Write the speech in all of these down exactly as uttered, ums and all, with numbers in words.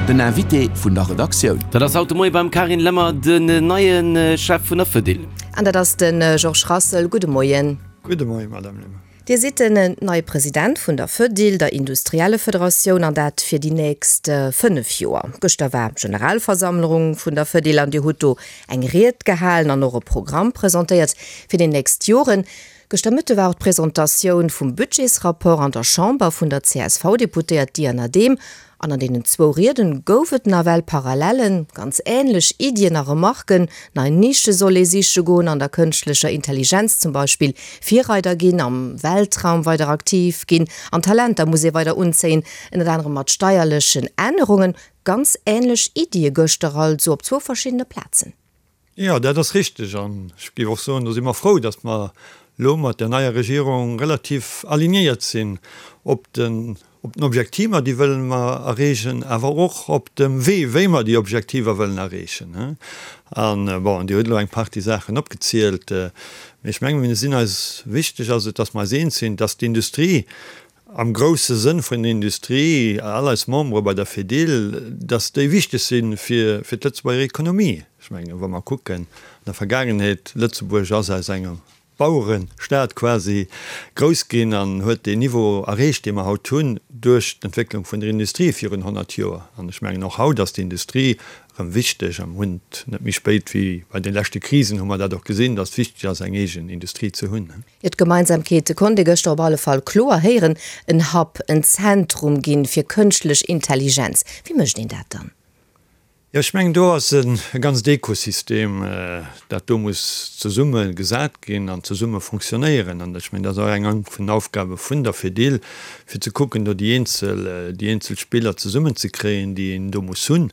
Den Invité vun der Redaktioun. Dat ass haut de Moie beim Carine Lemmer den neie Chef vun der Fedil. An dat ass de Georges Rassel. Gudde Moien. Gudde Moien, Madame Lemmer. Dir sidd den neie President vun der Fedil, der Industriellefederatioun, an dat fir déi nächst fënnef Joer. Gëschter war Generalversammlung vun der Fedil an Dir hutt do eng Ried gehalen an och e Programm presentéiert fir déi nächst Joren. Gëschter Mëtte war och d'Presentatioun vum Budgetsrapport an der Chamber vun der C S V-Deputéiert Diana Dehm. An an deenen zwou Rieden gouf et nawell Parallellen, ganz änlech Iddien a Remarken, nei Nische soll ee siche goen, an der kënschtlecher Intelligenz zum Beispill Virreider ginn, am Weltraum weider aktiv ginn, an Talenter muss ee weider unzéien, ënnert anerem mat steierlechen Ännerungen. Ganz änlech Iddie gëschter also op zwou verschiddene Plazen. Jo, dat ass richteg. An ech géif och soen, do si mer frou, datt mer elo mat der neier Regierung relativ alignéiert sinn op den op den Objektiver, déi wëlle mer erreechen, awer och op dem Wee, wéi mer déi Objektiver wëllen erreechen. An, bon, Dir hutt elo eng Partie Saachen opgezielt, mee ech mengen, mir sinn eis, wichteg ass et, datt mer eis eens sinn, datt d'Industrie am grousse Sënn vun der Industrie, all eis Membere bei der Fedil, datt déi wichteg si fir fir d'Lëtzebuerger Ekonomie. Ech mengen, wa mer kucken an der Vergaangenheet, Lëtzebuerg ass aus engem Bauerestaat quasi grouss ginn an huet deen Niveau erreecht, dee mer haut hunn, duerch d'Entwécklung vun der Industrie virun honnert Joer. An ech mengen, och haut ass d'Industrie erëm wichteg. A mer hunn et net méi spéit wéi bei de leschte Krisen hu mer dat och gesinn, dass et wichteg ass, eng eegen Industrie ze hunn. Jo, d'Gemeinsamkeete konnt ee gëschter op alle Fall kloer héieren, en Hub, en Zentrum ginn fir kënschtlech Intelligenz. Wéi mécht een dat dann? Jo, ech mengen, do ass e ganzt Ekosystem, dat do muss zesumme gesat ginn an zesumme fonctionnéieren. An ech mengen, dat ass och eng vun den Aufgabe vun der Fedil, fir ze kucken, do déi eenzel, déi eenzel Spiller zesummenzekréien, déi een do muss hunn.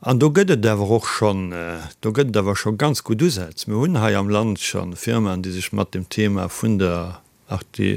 An do gëtt et awer och schonn, do gëtt et awer scho ganz gutt Usätz. Mir hunn hei am Land scho Firmaen, déi sech mat dem Thema vun der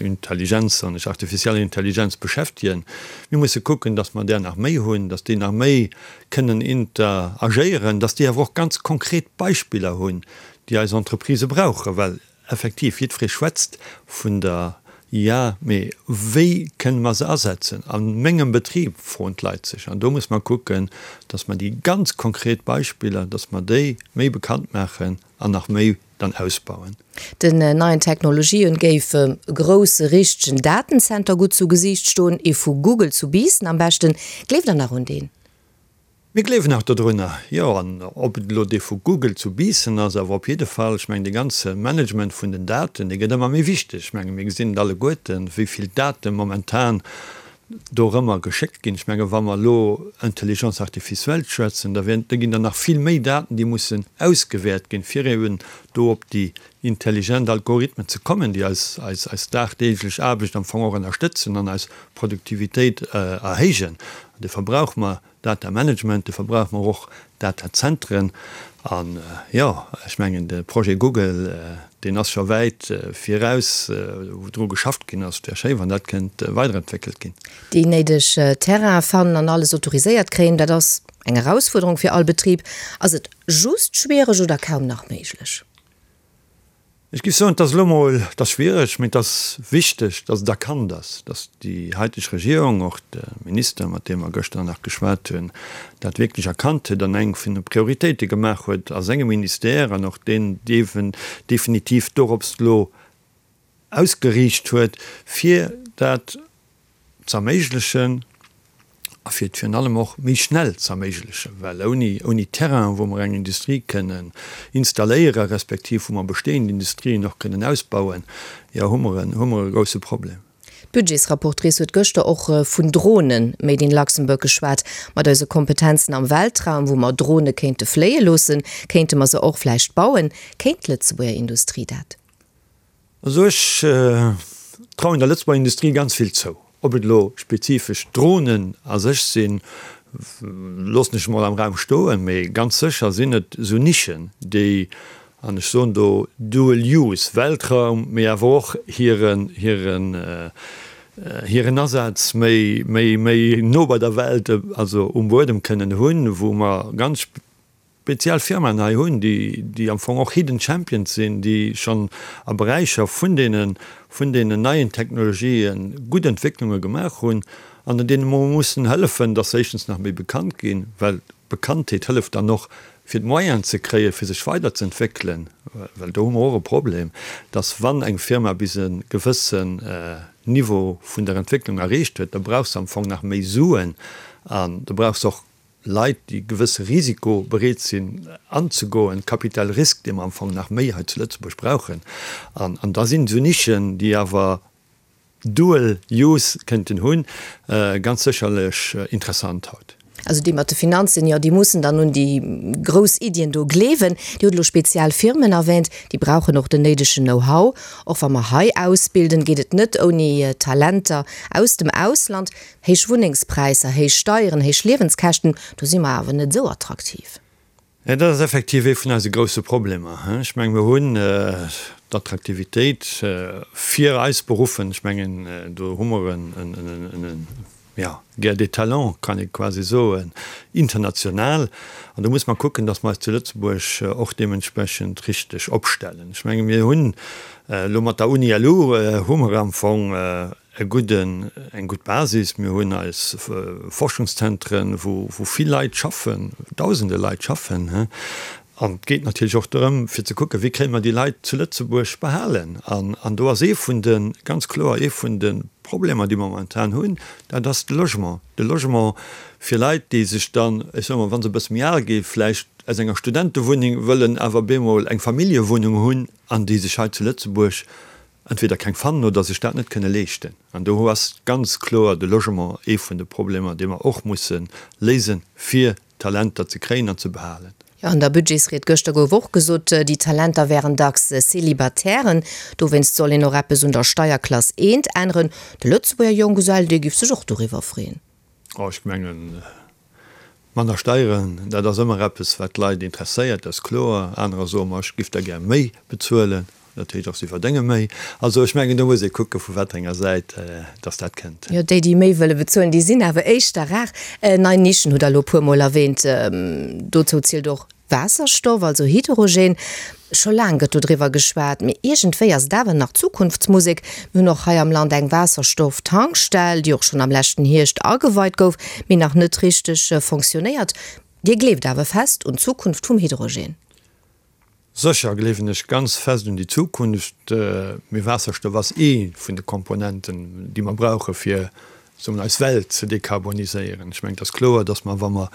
Intelligenz, soen ech, artificielle Intelligenz beschäftegen. Mir musse kucken, dass mer där nach méi hunn, dass déi nach méi kënnen interagéieren, dass déi awer och ganz konkret Beispiller hunn, déi eis Entreprisë brauchen, well effektiv jiddweree schwätzt vun der I A, mee wéi kënne mer se asetzen a mengem Betrib, froen d'Leit sech. An do muss mer kucken, dass mer déi ganz konkret Beispiller, dass mer déi méi bekannt maachen an nach méi dann ausbauen. Den neien Technologien géif e grousse richtegen Datenzenter gutt zu Gesiicht stoen, ee vu Google zu Biissen am beschten. Gleeft der nach un deen? Mir gleewen nach dodrunner, jo. An ob et elo dee vu Google zu Biissen ass, awer op jidde Fall, ech mengen, dee ganze Management vun den Daten, dee gëtt ëmmer méi wichteg. Ech menge mir gesinn et alleguerten, wéi vill Date momentan dorëmmer geschéckt ginn. Ech menge wa mer elo Intelligence artificielle schwätzen, da wäerten, da ginn der nach vill méi Daten, déi mussen ausgewäert ginn, fir eben do op déi intelligent Algorithmen ze kommen, déi eis, eis, eis dagdeeglech Aarbecht am Fong och ënnerstëtzen an eis Produktivitéit erhéijen. An duerfir brauche mer Data Management, duerfir brauche mer och Datazentren. An, jo, ech mengen, de Projet Google, deen ass scho wäit viraus, wou dru geschafft ginn ass. Et wär schéi, wann dat kënnt weiderentwéckelt ginn. Déi néideg Terrainen fannen an alles autoriséiert kréien, dat ass eng Erausfuerderung fir all Betrib. Ass et just schwiereg oder kaum nach méiglech? Ech géif soen, et ass elo emol, et ass schwiereg, mee et ass wichteg, datt et erkannt ass, datt déi haiteg Regierung, och de Minister, mat deem mer gëschter nach geschwat hunn, dat wierklech erkannt huet an eng vun de Prioritéite gemaach huet a sengem Ministère an och deen definitiv dorops elo ausgeriicht huet, fir dat z'erméiglechen a fir et virun allem och méi schnell z'erméiglechen, well ouni, ouni Terrain, wou mer eng Industrie kënnen installéieren, respektiv wou mer bestehend Industrien och kënnen ausbauen, jo, hu mer en, hu mer e grouse Problem. D'Budgetsrapportrice huet gëschter och vun Dronen made in Luxembourg geschwat. Mat eise Kompetenzen am Weltraum, wou mer Drone kéinte fléie loossen, kéinte mer se och vläicht bauen. Kéint d'Lëtzebuerger Industrie dat? Also ech trauen der Lëtzebuerger Industrie ganz vill zou. Ob et elo spezifesch Dronen a sech sinn, loossen ech emol am Raum stoen, mee ganz sécher sinn et esou Nischen, déi, an ech soen do dual use, Weltraum, mee awer och hiren, hiren, hiren Asaz méi, méi, méi no bei der Welt, also um Buedem kënnen hunn, wou mer ganz speziell Firmaen hei hunn, déi, déi am Fong och Hidden Champions sinn, déi schonn a Beräicher vun deene, vun deenen neien Technologië gutt Entwécklunge gemaach hunn. an deene mer mussen hëllefen, dass se éischtens nach méi bekannt ginn, well Bekanntheet hëlleft dann och, fir d'Moyenen ze kréien, fir sech weiderzeentwéckelen, well do hu mer och e Problem, dass wann eng Firma bis e gewëssen Niveau vun der Entwécklung erreecht huet, da brauch se am Fong nach méi Suen an da brauch se och Leit, déi gewësse Risiko bereet sinn anzegoen, Capital risque, dee mer am Fong nach méi hei zu Lëtzebuerg brauchen. An da sinn esou Nischen, déi awer dual use kënnten hunn, ganz sécherlech interessant haut. Also déi mat de Finanzen, jo, déi mussen dann un déi grouss Iddien do gleewen. Dir hutt elo speziell Firmen erwähnt, déi brauchen och den néidegen Know-how. Och wa mer hei ausbilden, geet et net ouni Talenter aus dem Ausland. Héich Wunnengspräisser, héich Steieren, héich Liewenskäschten, do si mer awer net esou attraktiv. Jo, dat ass effektiv ee vun eise grousse Problemer. Ech mengen, mir hunn d'Attraktivitéit fir eis Beruffen, ech mengen, do hu mer en, jo, Guerre des talents, kann ee quasi soen, international. An do muss mer kucken, datt mer eis zu Lëtzebuerg och deementsprechend richteg opstellen. Ech menge mir hunn elo mat der Uni LU hu mer am Fong e gudden, eng gutt Basis. Mir hunn eis Forschungszentren, wou vill Leit schaffen, Dausende Leit schaffen. An et geet natierlech och dorëm, fir ze kucken, wéi kréie mer déi Leit zu Lëtzebuerg behalen. An do ass ee vun de, ganz kloer ee vun de Problemer, déi mer momentan hunn, dat ass de Logement. De Logement fir Leit, déi sech dann, ech soe mol, wa se e bësse méi al gi vläicht, aus enger Studentewunneng wëllen awer bemol eng Familljewunnung hunn an déi sech hei zu Lëtzebuerg entweder keng fannen oder sech dat net kënne leeschten. An do ass ganz kloer de Logement ee vun de Problemer, dee mer och musse léisen, fir Talenter ze kréien an ze behalen. Jo, an der Budgetsried gëschter gouf och gesot, déi Talenter wären dacks Célibataires. Dowéinst soll een och eppes un der Steierklass eent änneren. De Lëtzebuerger Jonggesell, dee giff sech och doriwwer freeën. Oh, ech mengen, Manner Steieren, dat ass ëmmer eppes, wat d'Leit interesséiert, dat ass kloer. Anerer soe mer, ech giff der gär méi bezuelen, dat heescht och, si verdénge méi. Also ech mengen, do muss ee kucke vu wat enger Säit dass dat kënnt. Jo, déi, déi méi wëlle bezuelen, déi sinn awer éischter rar. Nei Nischen hutt Der elo e puermol erwähnt. Dozou zielt och Waasserstoff, also Hydrogen. Scho laang gëtt dodriwwer geschwat, mee iergendwéi ass et awer nach Zukunftsmusek. Mir hunn och hei am Land eng Waasserstoff-Tankstell, déi och schonn am leschten Hierscht ageweit gouf, mee nach net richteg fonctionnéiert. Dir gleeft awer fest un d'Zukunft vum Hydrogen? Sécher gleewen ech ganz fest un déi Zukunft, mee Waasserstoff ass ee vun de Komponenten, déi mer brauche fir soen, eis Welt ze dekarboniséieren. Ech mengen, et ass kloer, dass mer, wa mer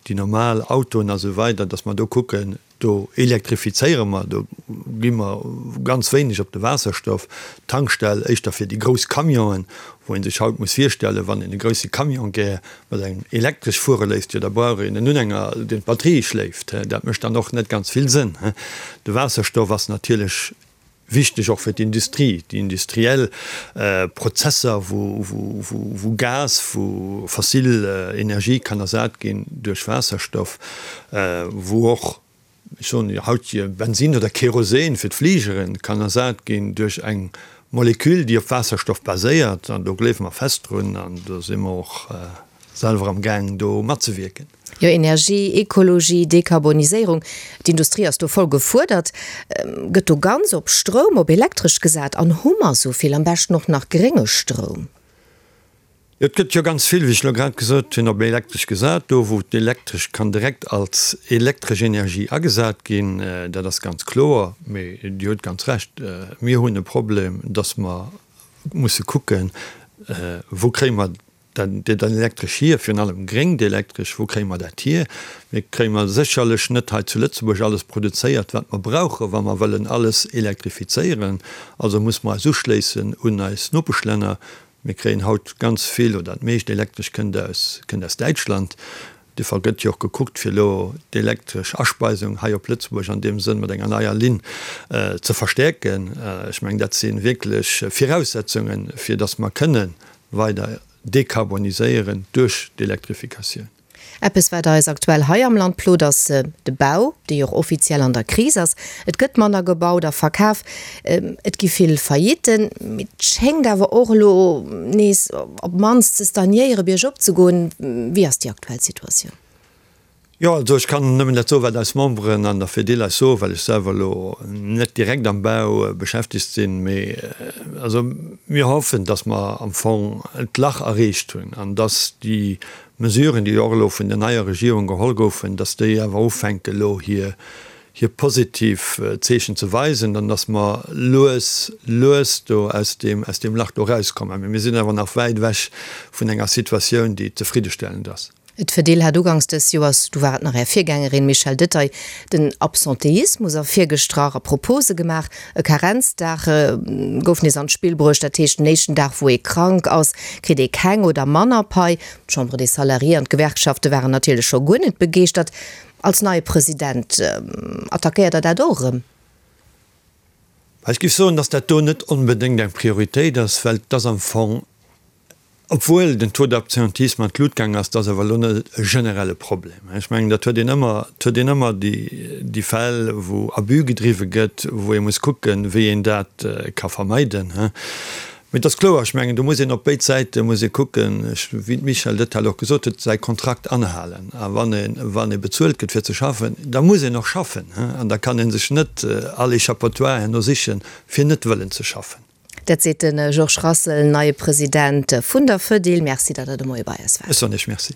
déi normal Autoen a sou weider, dass mer do kucken, do elektrifizéiere mer, do gi mer ganz wéineg op de Waasserstoff. D'Tankstell éischter fir déi grouss Camionen, wou ee sech haut muss virstellen, wann een e grousse Camion gär mat engem elektresch fuere léisst, jo da brauch een en Unhänger, deen d'Batterie schléift. Dat mécht dann och net ganz vill Sënn. De Waasserstoff ass natierlech Wichteg och fir d'Industrie, déi industriell Prozesser, wou Gas, wou fossil Energie kann ersat ginn duerch Waasserstoff, wou och, ech soen haut Bensin oder Kerosin fir d'Fligere kann ersat ginn duerch eng Molekül, déi op Waasserstoff baséiert. An do gleewe mer fest drun an do si mer och selwer am gaang do matzewierken. Jo, Energie, Ekologie, Dekarboniséierung, d'Industrie ass do voll gefuerdert. Gëtt do ganz op Stroum, op Elektresch gesat? An hu mer esou vill, am beschten och nach grénge Stroum? Jo, et gëtt jo ganz vill, wéi ech elo grad gesot hunn, op Elektresch gesat. Do wou d'Elektresch kann direkt als elektresch Energie agesat ginn, dat ass ganz kloer. Mee Dir hutt ganz Recht, mir hunn e Problem, dass mer musse kucken, wou kréie mer Dat Elektresch hier, virun allem gréngt Elektresch, wou kréie mer dat hier? Mir kréie mer sécherlech net hei zu Lëtzebuerg alles produzéiert, wat mer brauchen, wa mer wëllen alles elektrifizéieren. Also muss mer eis uschléissen un eis Nopeschlänner. Mir kréien haut ganz vill oder dat meescht Elektresch kënnt aus, kënnt aus Däitschland. Duerfir gëtt jo och gekuckt, fir elo d'elektresch Aspeisung hei op Lëtzebuerg an deem Sënn mat enger neier Linn ze verstäerken. Ech mengen, dat si wierklech Viraussetzungen, fir datt mer kënne weider dekarboniséieren duerch d'Elektrifikatioun. Eppes, wat eis aktuell hei am Land plot, ass de Bau, dee jo och offiziell an der Kris ass. Et gëtt manner gebaut a verkaf, et gi vill Faillitten, mee et schéngt awer och elo nees op d'mannst ze stagnéieren, biergop ze goen. Wéi ass déi aktuell Situatioun? Jo, also ech kann nëmmen dat soen, wat eis Memberen an der Fedil eis soen, well ech selwer elo net direkt am Bau beschäftegt sinn. Mee also mir hoffen, datt mer am Fong d'Lach erreecht hunn an datt déi Mesuren, déi och elo vun der neier Regierung geholl goufen, datt déi awer ufänke elo hir hir positiv Zeechen ze weisen an datt mer lues, lues do aus deem, aus deem Lach do erauskommen. Mee mir sinn awer nach wäit ewech vun enger Situatioun, déi zefriddestellend ass. D'Fedil hat uganks dës Joers, du war et nach Är Virgängerin Michèle Detaille, den Absenteismus ervirgestrach a Propose gemaach. E Karenzdag gouf nees an d'Spill bruecht, dat heescht den éischten Dag wou ee krank ass, kritt ee keng oder manner Pai. D'Chambre des Salariés an d'Gewerkschafte waren natierlech scho guer net begeeschtert. Als neie President, attackéiert Der dat och erëm? Ech géif soen, datt dat do net onbedéngt eng Prioritéit ass, well et ass am Fong, obwuel den Taux d'absentéisme an d'Lut gaang ass, dat ass awer elo net e generelle Problem. Ech mengen, dat huet een ëmmer, et huet een ëmmer déi, déi Fäll, wou Abus gedriwwe gëtt, wou ee muss kucken, wéi een dat ka vermeiden. Mee et ass kloer, ech mengen, do muss een op béid Säite muss ee kucken, wéi d'Michèle Detaille och gesot huet, säi Kontrakt anhalen. A wann ee, wann ee bezuelt gëtt fir ze schaffen, da muss een och schaffen. An da kann ee sech net all Échappatoire herno sichen, fir net wëllen ze schaffen. Dat seet de Georges Rassel, neie President vun der Fedil. Merci, datt Der de Moie bei eis waart. Ech soen Iech Merci.